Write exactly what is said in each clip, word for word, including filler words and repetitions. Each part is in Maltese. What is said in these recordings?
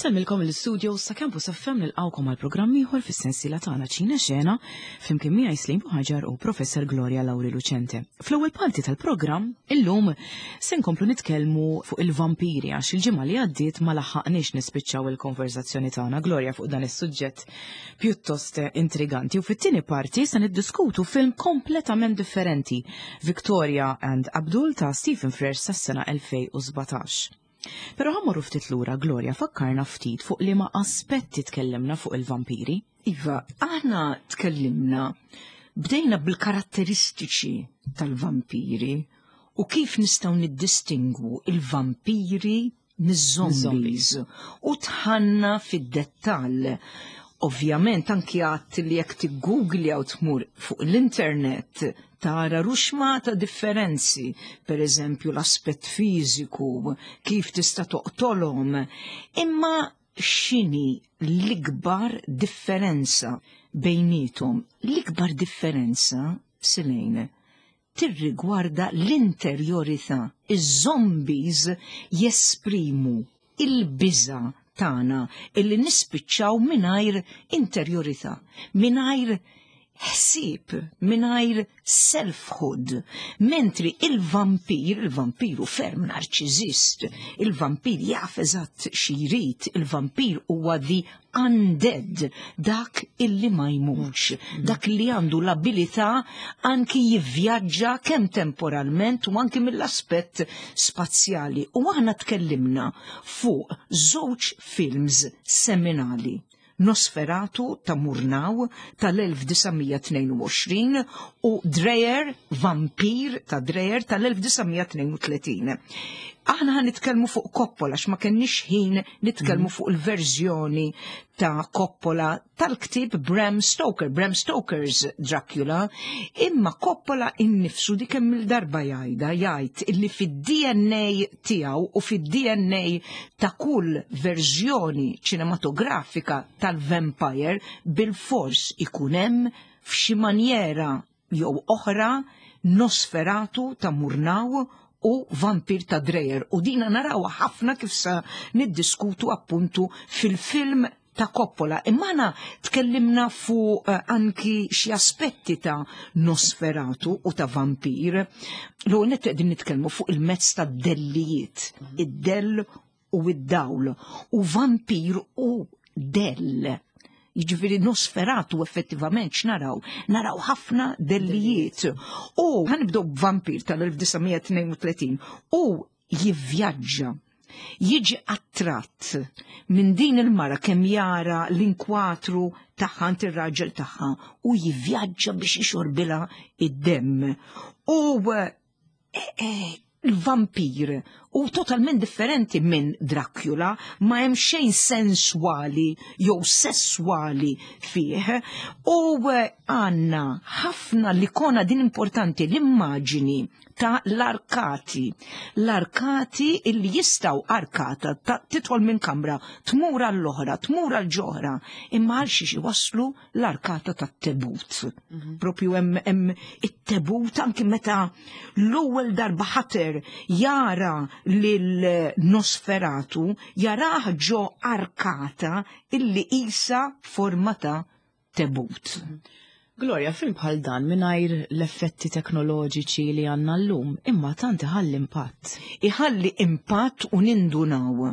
Insellmilkom l-studio sa Campus F M, nilqgħukom għal programm ieħor fis-sensiela tagħna Ċina Xena, flimkien miegħi Slim Buħaġar u Professor Gloria Lauri Lucente. Fl-ewwel parti tal-programm illum se nkomplu nitkellmu fuq il-vampiri, għax il-ġimgħa li għaddiet ma laħaqniex nispiċċaw il-konversazzjoni tagħna, Gloria, fuq dan is-suġġett pjuttost intriganti, u fit-tieni parti se niddiskutu film kompletament differenti, Victoria and Abdul ta' Stephen Frears sas-sena elfejn u sbatax. Pero ħa mmorru ftit lura, Gloria, fakkarna ftit fuq liema aspetti tkellimna fuq il-vampiri. Iva, aħna tkellimna, bdejna bil-karatteristiċi tal-vampiri u kif nistgħu niddistingwu il-vampiri miż-zombies u dħalna fid-dettall. Ovvjament anki għat li jekk tiggooglja u tmur fuq l-internet tara ruxmata differenzi, per eżempju l-aspett fiżiku, kif tista' toqtolhom, imma x'inhi l-ikbar differenza bejnietom? L-ikbar differenza, Silejn, tirrigwarda l-interjorità. Iż-zombies jesprimu il-biża tagħna illi nispiċċaw mingħajr interjorità, mingħajr ħsieb, mingħajr selfhood, mentri il-vampir, il-vampir hu ferm narċizist, il-vampir jaf eżatt x'irid, il-vampir huwa the undead, dak illi ma jmutx, dak li għandu l-abilità anki jivvjaġġa kemm temporalment u anki mill-aspett spazjali. U aħna tkellimna fuq żewġ films seminali: Nosferatu ta' Murnau tal-elf disa' mija tnejn u għoxrin u Dreyer, Vampir ta' Dreyer tal-elf disa' mija tnejn u tletin. Aħna ħa nitkellmu fuq Coppola, ma kenniex ħin nitkellmu fuq il-verżjoni ta' Coppola tal-ktib Bram Stoker, Bram Stoker's Dracula, imma Coppola innifsu dik kemm il-darba jgħidha, jgħid illi fid-D N A tiegħu u fid-D N A ta' kull verżjoni ċinematografika tal-vampire bil-fors ikun hemm f'xi manjera jew oħra Nosferatu ta' Murnau u Vampir ta' Dreyer. U dina naraw ħafna kif sa niddiskutu appuntu fil-film ta' Coppola. Imma aħna tkellimna fuq uh, anki xi aspetti ta' Nosferatu u ta' Vampir. L net qegħdin nitkellmu fuq il-mezz ta' dellijiet, id-dell u id-dawl. U vampir u dell. Jiġifieri Nosferatu effettivament x'naraw? Naraw ħafna dellijiet. U ħa nibdew b'Vampir tal-elf disa' mija tnejn u tletin u jivvjaġġa, jiġi attratt minn din il-mara kemm jara l-inkwatru tagħha ir-raġel tagħha u jivvjaġġa biex jixorbilha id-demm. U eh, eh, il-vampir u totalment differenti minn Dracula, ma hemm xejn sensuali jew sessuali fih, u eh, għandna ħafna l-ikona din importanti, l-immaġini ta' l-arkati. L-arkati illi jistgħu arkata ta' tidħol minn kamra, tmur għall-oħra, tmur għal-ġoħra, imma għal xiex waslu l-arkata tat-tebut. Propju hemm hemm it-tebut anki meta l-ewwel darba ħater jara lil Nosferatu, jarah ġo arkata illi isa forma ta' tebut. Gloria, film bħal dan mingħajr l-effetti teknoloġiċi li għandna llum, imma tant iħalli impatt. Iħalli impatt u nindunaw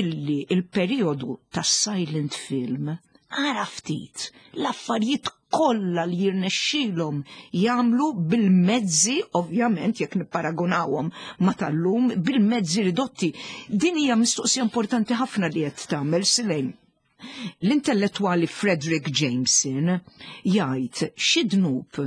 illi il-periodu tas silent film, ara ftit l-affarijiet kollha li jirnexxilhom jagħmlu bil-mezzi, ovvjament jekk nipparagunawhom ma tal-lum, bil-mezzi ridotti. Din hija mistoqsija importanti ħafna li qed tagħmel, Silejn. L-intellettwali Fredric Jameson jgħid xi dnub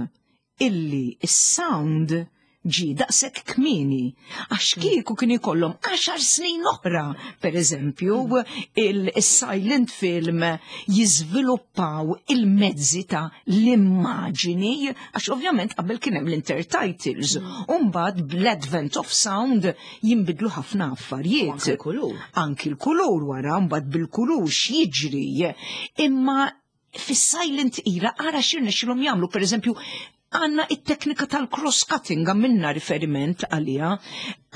illi is-sound ġi daqshekk kmieni, għax kieku kien ikollhom għaxar snin oħra, per eżempju, il-silent film jiżviluppaw il-mezzi ta' l-immaġini, għax ovvjament qabel kien hemm l-intertitles, u mbagħad bl-advent of sound jinbidlu ħafna affarijiet. Anki l-kulur. Anki l-kulur wara, mbagħad bil-kulur x'jiġri. Imma fis-silent era ara x'irnexxilhom jagħmlu, per eżempju, Għandna it-teknika tal-cross-cutting, għamilna riferiment għalija,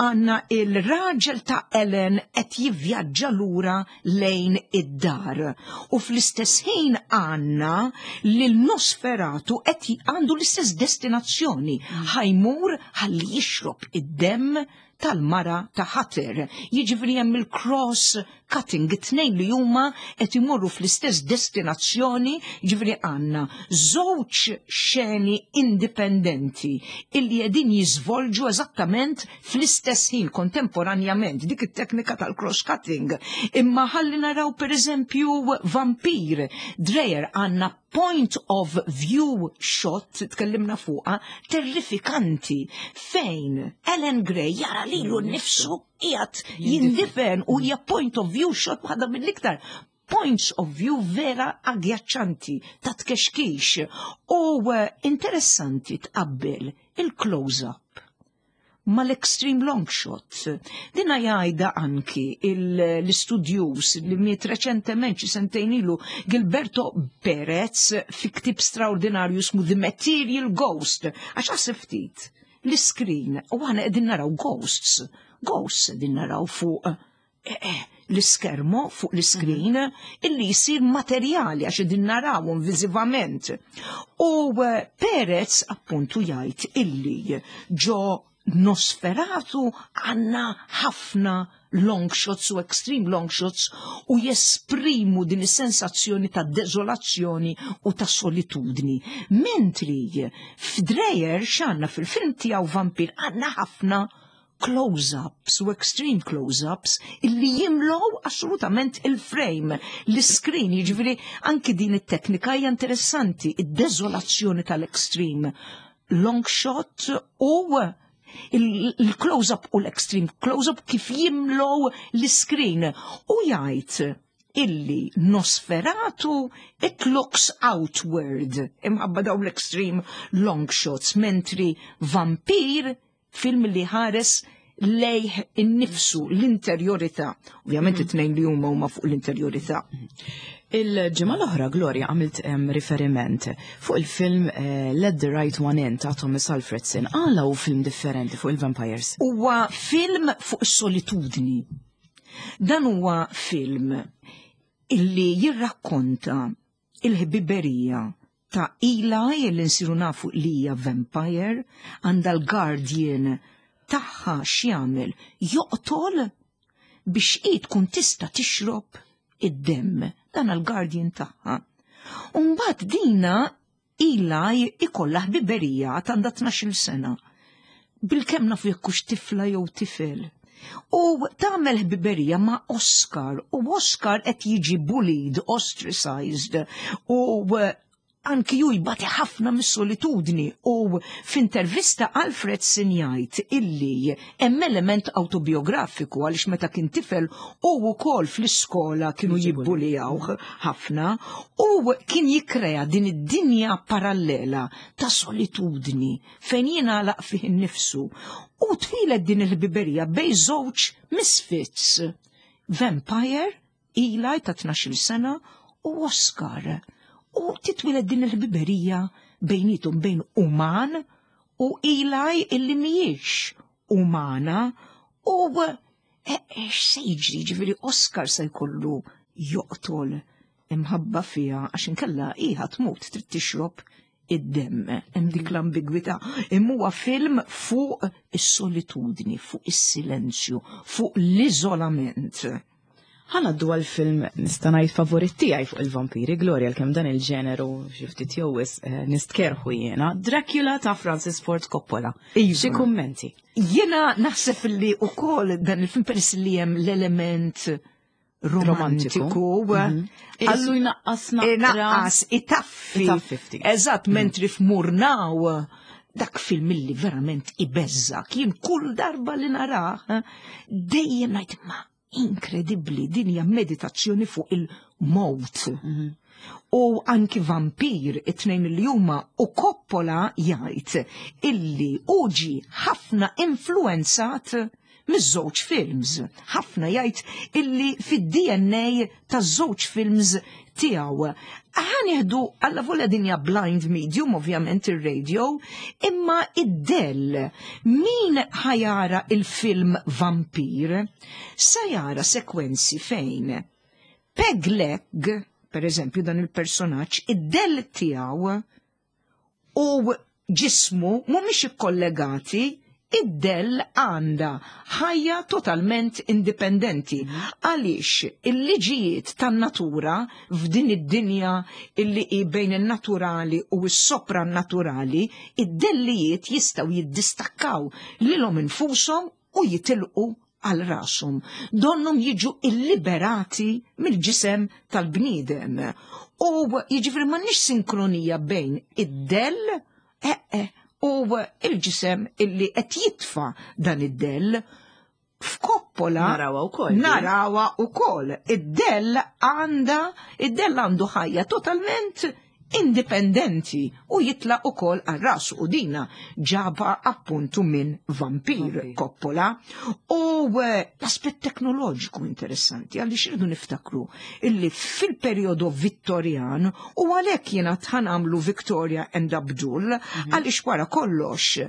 għandna il-raġel ta' Ellen qed jivvjaġġa lura lejn id-dar. U fl-istess ħin għandna li l-Nosferatu qed għandu l-istess destinazzjoni, ħa jmur ħalli jixrob id-demm tal-mara ta' Hutter. Jiġifieri hemm il-cross cutting, it-tnejn li huma qed imorru fl-istess destinazzjoni, jiġifieri għandna żewġ xeni indipendenti illi qegħdin jiżvolġu eżattament fl-istess ħin kontemporanjament, dik it-teknika tal-cross cutting. Imma ħalli naraw, per eżempju, Vampir, Dreyer, għandna point of view shot, tkellimna fuqa, terrifikanti, fejn Ellen Grey jara lilu nnifsu qiegħed jindifen u hija point of view shot, waħda mill-iktar points of view vera aggjaċċanti, ta' tkexkix u eh, interessanti tqabbel il-close-up mal-extreme long shot. Dina jgħida anki l-istudjuż li miet reċentement, xi sentejn ilu, Gilberto Perez, fi ktib straordinarju ismu The Material Ghost, għax għasib ftit l-screen u aħna qegħdin naraw ghosts, ghosts qegħdin naraw fuq eh, eh, l-iskermo, fuq l-screen, illi jisir materjali għax qegħdin narawhom viżivament. U eh, Perez appuntu jgħid illi ġo Nosferatu għandna ħafna long shots u extreme long shots u jesprimu din is-sensazzjoni ta' dezolazzjoni u ta' solitudni. Mentri f'Dreyer x'għandna fil-film tiegħu Vampir? Għandna ħafna close-ups u extreme close-ups illi jimlow assolutament il-frame, l-screen, jiġifieri anki din it-teknika hija interessanti, id-dezolazzjoni tal-extreme long shot u il-close-up u l-extreme close-up kif jimlow l-screen. U jgħid illi Nosferatu, it looks outward imħabba daw l-extreme long shots, mentri Vampir film li ħares lejh innifsu, l-interjorità. Ovvjament it-tnejn li huma huma fuq l-interjorità. Il-ġimgħa l-oħra, Gloria, għamilt em, riferiment fuq il-film eh, Let the Right One In ta' Thomas Alfredson. Għala hu film differenti fuq il-vampires? Huwa film fuq is-solitudni. Dan huwa film illi jirrakkonta il-ħbiberija ta' Eli, li nsiru nafu li hija vampire, għandha l-guardian tagħha. X'jagħmel? Joqtol biex hi tkun tista' tixrob id-demm, dan l-guardian tagħha. Umbagħad dina Eli ikollha ħbiberija, għandha tnax-il sena. Bilkemm nafu jekk hux tifla jew tifel. U tagħmel ħbiberija ma' Oscar u Oscar qed jiġi bullied, ostracized u eh, anki ju jbati ħafna mis-solitudni u f'intervista Alfredson jgħid illi hemm element autobiografiku għaliex meta kien tifel u wkoll fl-iskola kienu jibbulijawh ħafna u kien jikkrea din id-dinja parallela ta' solitudni fejn jingħalaq fih innifsu u twieldet din il-ħbiberija bejn żewġ misfits. Vampire, Eli ta' tnax-il sena, u Oscar. U titwieled din il-ħbiberija bejnietom, bejn uman u Eli illi mhijiex umana u eh, eh, x'se jiġri? Ġifieri Oscar se jkollu joqtol imħabba fija għax inkella iħa tmut, trid tixrob id-demm, hemm dik l-ambigwità. Imma huwa film fuq is-solitudni, fuq is-silenzju, fuq l-iżolament. Ħa ngħaddu għal-film, nista' ngħid, favorit tiegħi fuq il-vampiri, Gloria, kemm dan il-ġeneru xi ftit jew wisq eh, nistkerħu jiena, Dracula ta' Francis Ford Coppola. Iva. Xi kummenti? Jiena naħseb li ukoll dan il-film, peress li hemm l-element romantiku, Illu jnaqqas naqra. Inaqqas, itaffi. Itaffi ftit. Eżatt, mentri f'Murnau dak film illi verament ibeżżak. Jien kull darba li narah, eh, dejjem ngħid, ma inkredibbli, din hija meditazzjoni fuq il-mowt. U anki Vampir, it-tnejn li huma, u Coppola jgħid illi uġi ħafna influenzat miż-żewġ films. Ħafna jgħid illi fid-D N A taż-żewġ films tiegħu. Ħa nieħdu alla volja dinja blind medium, ovvjament ir-radio, imma id-dell, min ħa jara il-film Vampir, sa jara sekwenzi fejn Peg Leg, per eżempju, dan il-personaġġ, id-dell tiegħu u ġismu mhumiex ikkollegati, id-dell għandha ħajja totalment indipendenti. Għaliex il-liġijiet tan-natura f'din id-dinja illi hi bejn il-naturali u s-sopranaturali, id-dellijiet jistgħu jiddistakkaw lilhom infushom u jitilqu għal rashom. Donnhom jiġu illiberati mill-ġisem tal-bniedem. U jiġifieri m'għandniex sinkronija bejn id-dell eh, eh, u il-ġisem illi qed jitfa dan id-dell. F'Coppola Narawha wkoll. Narawha wkoll. Id-dell għandha id-dell għandu ħajja totalment indipendenti u jitlaq ukoll għal rasu u dina ġaba appuntu minn Vampir Vampir. Coppola. U eh, l-aspett teknoloġiku interessanti, għaliex irridu niftakru illi fil-periodu Vittorjan, u għalhekk jiena ħa nagħmlu Victoria and Abdul, għaliex wara kollox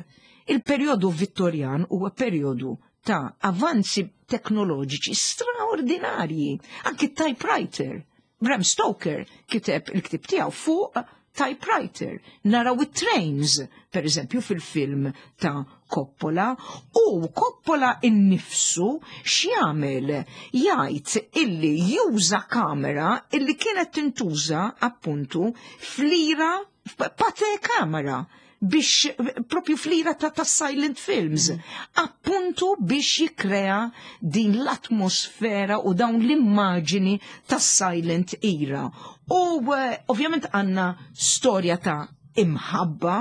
il-periodu Vittorjan huwa periodu ta' avanzi teknoloġiċi straordinarji. Anki typewriter. Bram Stoker kiteb il-ktib tiegħu fuq typewriter. Naraw it-trains, per eżempju, fil-film ta' Coppola, u Coppola innifsu x'jagħmel? Jgħid illi juża kamera illi kienet tintuża appuntu fl-era Pathé kamera biex propju fl-era ta', ta' silent films, appuntu biex jikrea din l-atmosfera u dawn l-immaġini ta' silent era. U eh, ovvjament għandna storja ta' imħabba,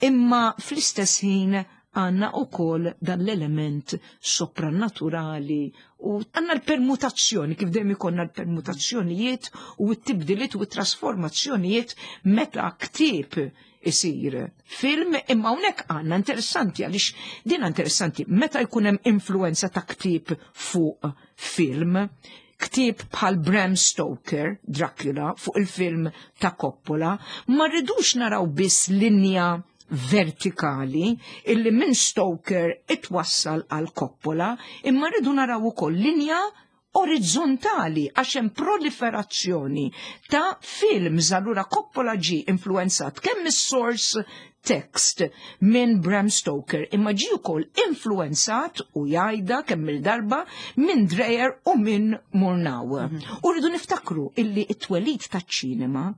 imma fl-istess ħin għandna ukoll dan l-element soprannaturali u għandna l-permutazzjoni, kif dejjem ikollna l-permutazzjonijiet u t-tibdiliet u t-trasformazzjonijiet meta ktieb isir film. Imma hawnhekk għandna interessanti, għaliex din interessanti, meta jkun hemm influenza ta' ktieb fuq film, ktieb bħal Bram Stoker, Dracula, fuq il-film ta' Coppola, ma rridux naraw biss linja vertikali illi minn Stoker itwassal għal Coppola, imma rridu naraw ukoll linja orizzontali għax hemm proliferazzjoni ta' films. Allura Coppola ġi influenzat kemm is-source text minn Bram Stoker, imma ġi wkoll influenzat, u jgħidha kemm il-darba, minn Dreyer u minn Murnau. U rridu niftakru illi it-twelid taċ-ċinema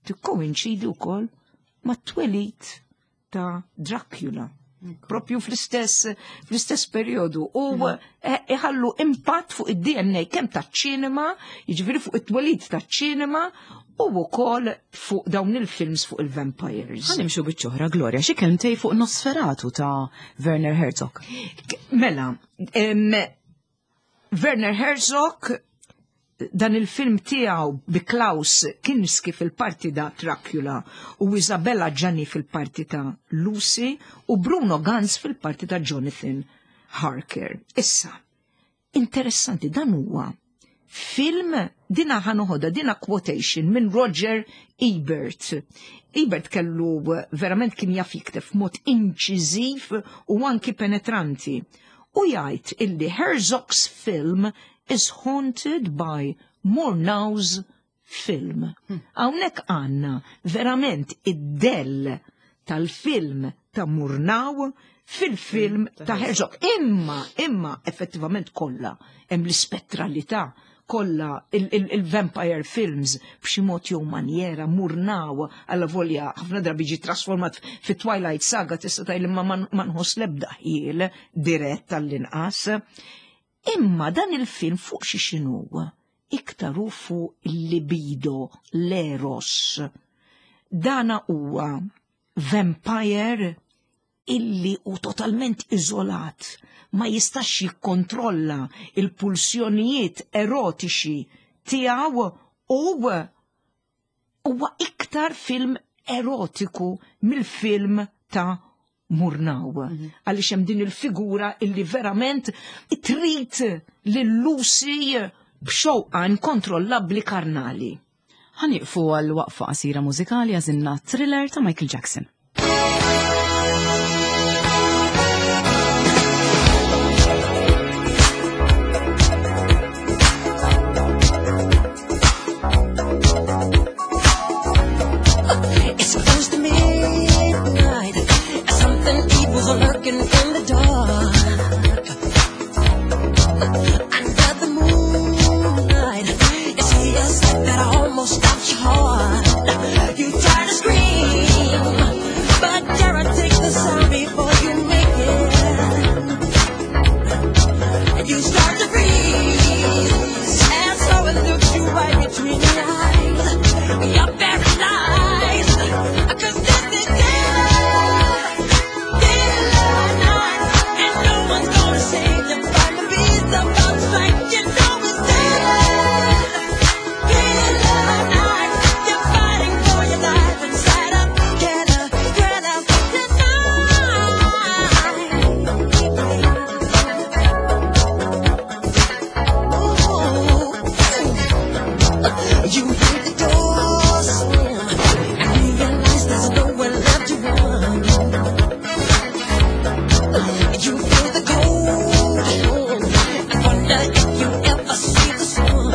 tikkoinċidi wkoll mat-twelid ta' Dracula. Propju fl-istess fl-istess periodu u eh, iħallu impatt fuq id-D N A kemm taċ-ċinema, jiġifieri fuq it-twelid taċ-ċinema u wkoll fuq dawn il-films fuq il-vampires. Ħa nimxu biċ-ċoħra, Gloria, xi kelmtej fuq Nosferatu ta' Werner Herzog. Mela, em, Werner Herzog, dan il-film tiegħu bi Klaus Kinski fil-parti ta' Dracula u Isabella Gianni fil-parti ta' Lucy u Bruno Ganz fil-parti ta' Jonathan Harker. Issa, interessanti, dan huwa film, dina ħa noħodha, dina quotation minn Roger Ebert. Ebert kellu verament kien jaf jikteb f'mod inċiżiv u anki penetranti. U jgħid illi "Herzog's film is haunted by Murnau's film." Hawnhekk għandna verament id-dell tal-film ta' Murnau fil-film ta' Herzog. Imma, imma, effettivament kollha hemm l-ispettralità kollha il-vampire films b'xi mod jew manjera Murnau alla volja ħafna drabi ġi trasformat fi Twilight Saga, tista' tgħid ma ma nħoss l-ebda ħjiel dirett tal-inqas. Imma dan il-film fuq xi xinu? Iktar hu fuq il-libido, l-eros. Dana huwa vampire illi u totalment iżolat, ma jistax jikkontrolla il-pulsjonijiet erotiċi tiegħu u huwa iktar film erotiku mill-film ta' Murnau. Għaliex hemm din il-figura illi verament trid lil Lucy b'xewqa inkontrollabbli karnali. Ħa nieqfu għal waqfa qasira mużikali, għażilna Thriller ta' Michael Jackson. It's close to midnight. Something evil's lurking in the dark. Under the moonlight, you see a sight that almost stops your heart. You try to scream, but terror takes the sound before you make it. And you start to freeze, and so it looks you right between the eyes. You're paralyzed, 'cause this is killer, killer night, and no one's gonna save you from the beast about to strike. You know it's killer, killer night. You're fighting for your life inside a killer, killer tonight. Ooh. You hear the door slam and realize there's nowhere left to run. You feel the cold hand and wonder if you ever see the sun.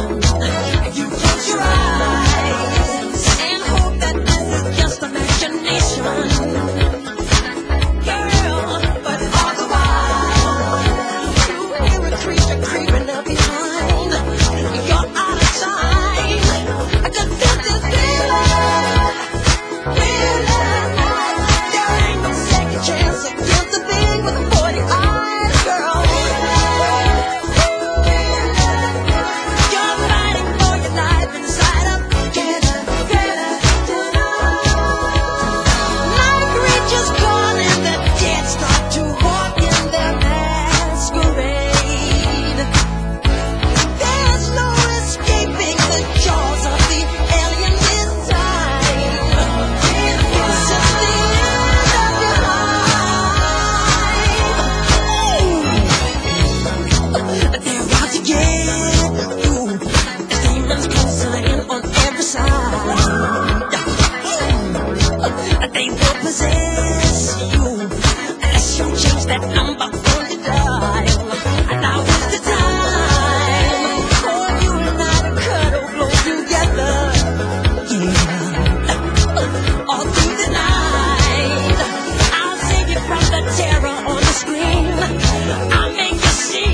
You close your eyes and hope that this is just imagination. Girl, but all the while you hear a creature creeping up behind. You're out of time. 'Cause this is killer, killer night. There ain't no second chance against the thing with the forty eyes, girl. You're fighting for your life inside a killer, killer tonight. Night creatures calling, the dead start to walk in their masquerade. There's no escaping the jaws of the alien this time. This is the end of your life. They're out to get you. The demons closing in on every side. They will possess you unless you change that number on the dial. And now is the time for you and I to cuddle close together. Yeah. All through the night, I'll save you from the terror on the screen. I'll make you see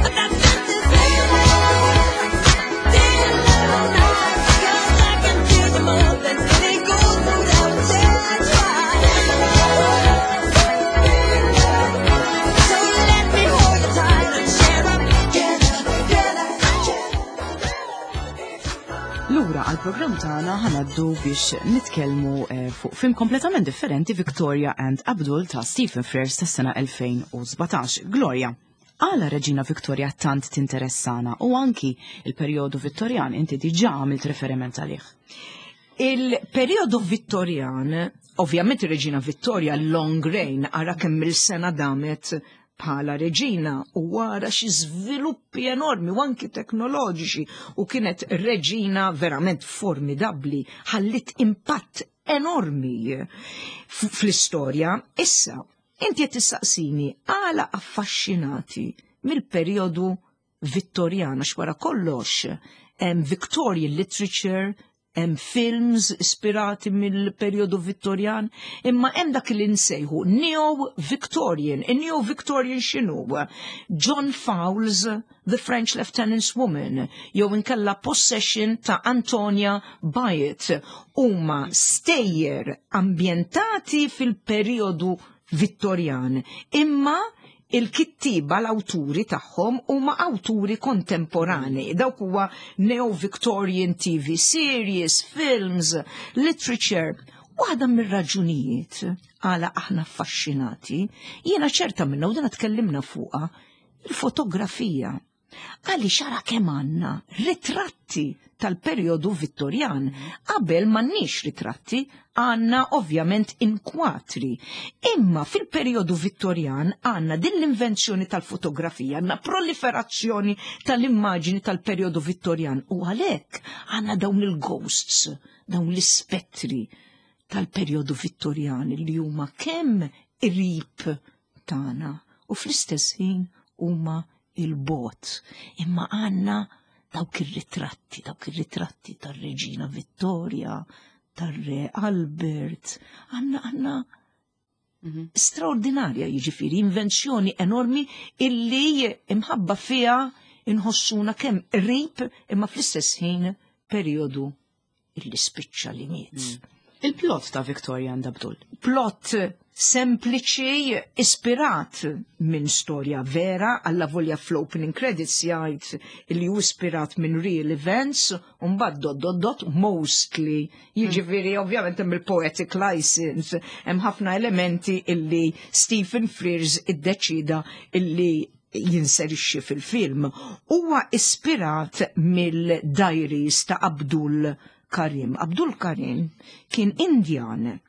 that this is killer night. 'Cause I can feel you more than any ghost would ever try. So let me hold you tight and share a killer, killer, Lura għal-programm tagħna, ħa ngħaddu biex nitkellmu eh, fuq film kompletament differenti, Victoria and Abdul ta' Stephen Frears tas-sena elfejn u sbatax. Gloria, għala Reġina Victoria tant tinteressana u anki il-perjodu Vittorjan inti diġà għamilt referiment għalih? Il-periodu Vittorjan, ovvjament ir-Reġina Vittoria, long reign, ara kemm il-sena damet bħala reġina u wara xi żviluppi enormi u anki teknoloġiċi u kienet reġina verament formidabbli, ħallit impatt enormi f- fl-istorja. Issa, inti qed tistaqsini għala affaxxinati mill-perjodu Vittorjan, għax wara kollox hemm Victorian literature, hemm films ispirati mill-perjodu Vittorjan, imma hemm dak li nsejħu Neo-Victorian. In-Neo-Victorian x'inhu? John Fowles' The French Lieutenant's Woman, jew inkella Possession ta' Antonia Byatt, huma stejjer ambjentati fil-perjodu Vittorjan, imma il-kittiba, l-awturi tagħhom huma awturi kontemporani. Dawk huwa Neo-Victorian T V series, films, literature. Waħda mir-raġunijiet għala aħna affaxxinati, jiena ċerta minna u dana tkellimna fuqha, il-fotografija. Għaliex ara kemm għandna ritratti tal-perjodu Vittorjan. Qabel m'għandniex ritratti, għandna ovvjament inkwatri. Imma fil-perjodu Vittorjan għandna din l-invenzjoni tal-fotografija, għandna proliferazzjoni tal-immaġini tal-perjodu Vittorjan u għalhekk għandna dawn il-ghosts, dawn l-ispettri tal-perjodu Vittorjan li huma kemm qrib tagħna u fl-istess ħin huma 'il bogħod. Imma għandna dawk ir-ritratti, dawk ir-ritratti tar-Reġina Vittoria, tar-Re Albert, għandna għandna straordinarja, jiġifieri invenzjoni enormi illi imħabba fija inħossuna kemm qrib imma fl-istess ħin perjodu illi spiċċa li miet. Il-plot ta' Victoria and Abdul. Plot sempliċi, ispirat minn storja vera, alla volja fl-opening credits jgħid li hu ispirat minn real events, u mbagħad dot dot dot mostly. Jiġifieri ovvjament hemm il-poetic license, hemm ħafna elementi illi Stephen Frears iddeċida illi jinserixxi fil-film. Huwa ispirat mill-diaries ta' Abdul Karim. Abdul Karim kien Indjan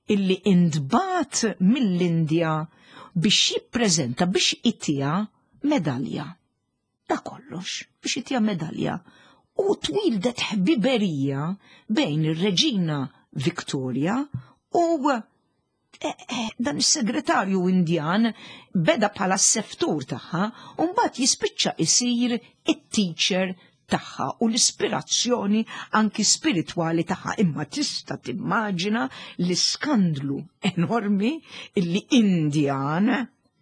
illi intbagħat mill-Indja biex jippreżenta, biex itiha medalja. Da kollox, biex itiha medalja. U twildet ħbiberija bejn ir-Reġina Victoria u eh, eh, dan is-segretarju Indjan beda bħala s-seftur tagħha u mbagħad jispiċċa isir it-teacher tagħha u l-ispirazzjoni anki spiritwali tagħha. Imma tista' timmaġina l-iskandlu enormi illi Indjan,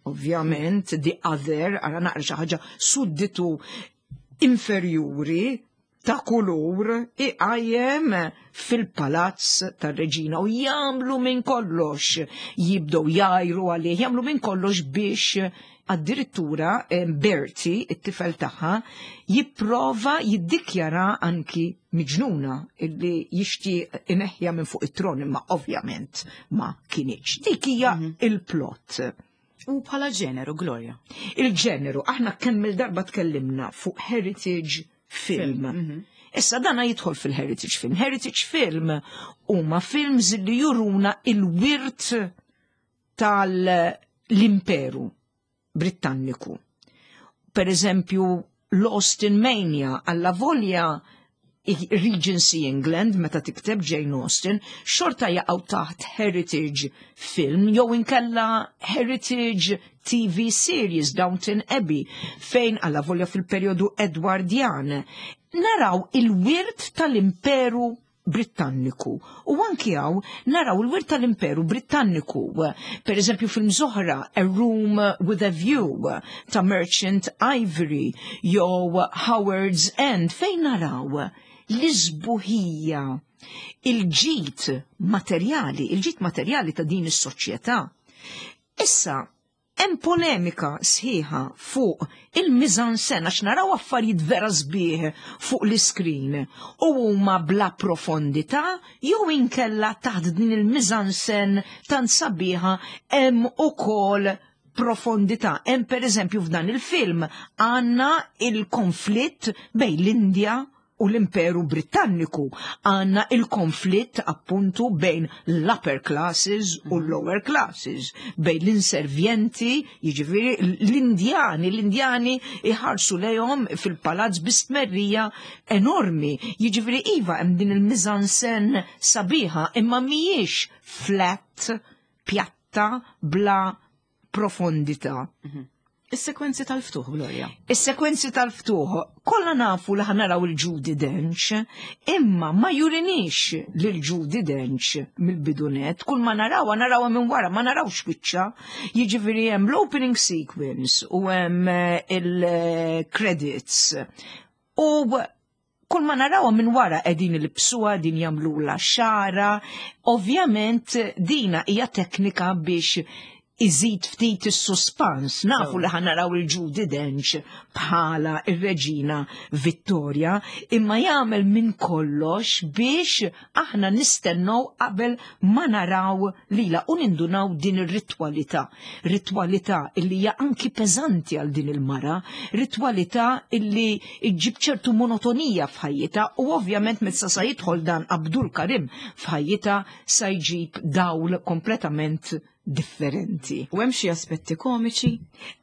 ovvjament, the other, ara naqra xi ħaġa sudditu inferjuri ta' kulur, iqajjem fil-palazz tar-reġina u jagħmlu minn kollox, jibdew jgħiru għalih, jagħmlu minn kollox biex addirittura eh, Bertie, it-tifel tagħha, jipprova jiddikjara anki miġnuna illi jixtieq ineħħiha minn fuq it-tron, imma ovvjament ma kinitx. Dik hija il-plot. U bħala ġeneru, Gloria. Il-ġeneru, aħna kemm il-darba tkellimna fuq heritage film. Issa dana jidħol fil-heritage film. Heritage film huma films li juruna il-wirt tal-imperu Britanniku. Per eżempju, l-Austen Mania, alla volja Regency England, meta tikteb Jane Austen, xorta jaqgħu taħt heritage film, jew inkella heritage T V series, Downton Abbey, fejn alla volja fil-perjodu Edwardjan. Naraw il-wirt tal-imperu Britanniku. U anki hawn naraw il-wirt tal-Imperu Britanniku. Per eżempju, film oħra, A Room with a View ta' Merchant Ivory jew Howard's End, fejn naraw l-isbuħija, il-ġid materjali, il-ġid materjali ta' din is-soċjetà. Issa, hemm polemika sħiħa fuq il-mise-en-scène għax naraw affarijiet vera sbieħ fuq l-iskrin u huma bla profondità jew inkella taħt din il-mise-en-scène tant sabiħa hemm ukoll profondità. Hemm, per eżempju, f'dan il-film għandna il-konflitt bejn l-Indja u l-Imperu Britanniku. Għandna il-konflitt appuntu bejn l-upper classes u l-lower classes, bejn l-inservjenti, jiġifieri l-Indjani, l-Indjani iħarsu lejhom fil-palazz bistmerrija enormi. Jiġifieri iva, hemm din il-mise-en-scène sabiħa, imma mhijiex flat, pjatta, bla profondità. Is-sekwenzi tal-ftuħ, Gloria. Is-sekwenzi tal-ftuħ, kollha nafu li ħa naraw il-Judi Dench, imma ma jurinix lil Judi Dench mill-bidunet, kull ma narawha narawha minn wara, ma narawx wiċċha. Jiġifieri hemm l-opening sequence u hemm eh, il-credits. U kull ma narawha minn wara, qegħdin ilbsuha, din jagħmlulha xagħarha. Ovvjament dina hija teknika biex Iżid ftit is-suspans, nafu li ħa naraw il-Judi Dench bħala ir-Reġina Vittoria, imma jagħmel minn kollox biex aħna nistennew qabel ma naraw lila u nindunaw din ir-ritwalità. Ritwalità illi hija anki peżanti għal din il-mara, ritwalità illi iġġib ċertu monotonija f'ħajjitha u ovvjament meta sa jidħol dan Abdul Karim f'ħajjitha sa jġib dawl kompletament differenti. U hemm xi aspetti komiċi?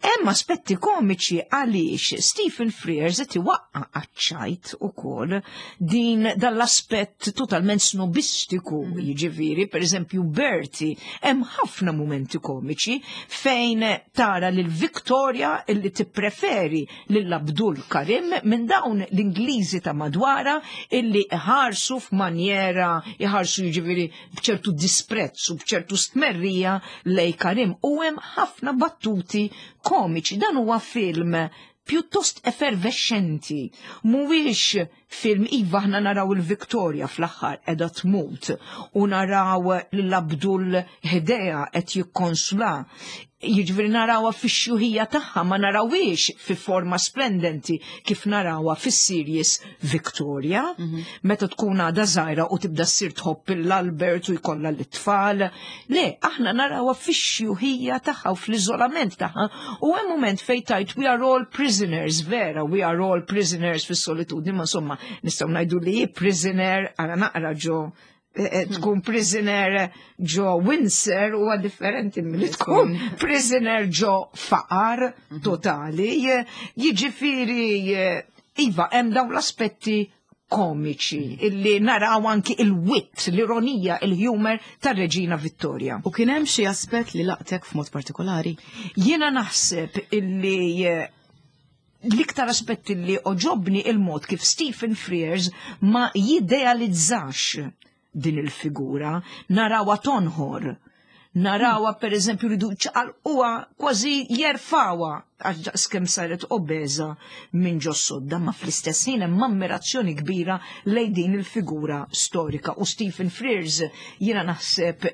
Hemm aspetti komiċi għaliex Stephen Frears qed iwaqqa' għaċ-ċajt ukoll din dal-aspett totalment snobistiku, mm. jiġifieri, pereżempju Bertie, hemm ħafna mumenti komiċi fejn tara lil Victoria illi tippreferi lil Abdul Karim minn dawn l-Ingliżi ta' madwara illi iħarsu f'manjera, iħarsu jiġifieri b'ċertu disprezz u b'ċertu stmerrija lej Karim u hemm ħafna battuti komiċi. Dan huwa film pjuttost effervescenti. Mhuwiex film, iva, aħna naraw il-Victoria fl-aħħar qiegħda tmut u naraw l-Abdul ħdejha qed jikkonsla. Jiġifieri narawha fix-xjuħija tagħha, ma narawhiex fi forma splendenti kif narawha fis-series Victoria, mhm. meta tkun għadha żgħira u tibda ssir tħobb l-Albert u jkollha l-tfal. Le, aħna narawha fix-xjuħija tagħha u fl-iżolament tagħha u hemm moment fejn tgħid "We are all prisoners", vera, we are all prisoners fis-solitudni, ma insomma nistgħu ngħidu li prisoner għara naqra ġo eh, eh, tkun prisoner ġo Windsor huwa differenti milli tkun prisoner ġo faqar mhm. totali. Jiġifieri, iva, hemm dawn l-aspetti komiċi illi naraw anki il-wit, l-ironija, il-humor tar-Reġina Vittoria. U kien hemm xi aspett li laqtek f'mod partikolari? Jiena naħseb illi eh, l-iktar aspett li għoġobni il-mod kif Stephen Frears ma jidealizzax din il-figura, narawha tonħor, narawha per eżempju ridu ċaqalquha, kważi jerfgħuha għax daqskemm saret obeża minn ġo sodda, ma fl-istess ħin hemm ammirazzjoni kbira lejn din il-figura storika. U Stephen Frears, jiena naħseb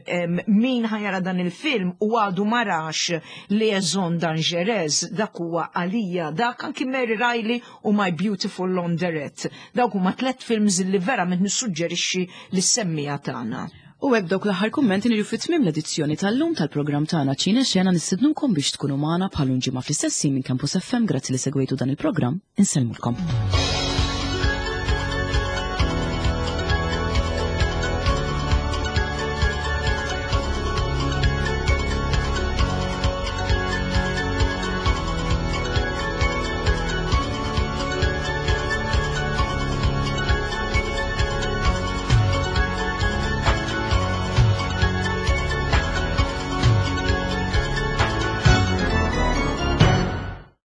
min ħa jara dan il-film u għadu ma rax Liaison Dangereuse, dak huwa għalija, dak anki Mary Riley u My Beautiful Laundrette. Dawk huma tliet films li verament nissuġġerixxi lis-semmiegħa tagħna. U hekk dawk l-aħħar kummenti niġu fit tmiem l-edizzjoni tal-lum tal-programm tagħna Ċine Xena. Nistednukom biex tkunu magħna bħal ġimgħa fl-istess minn Campus F M. Grazzi li segwejtu dan il-programm, insellmulkom.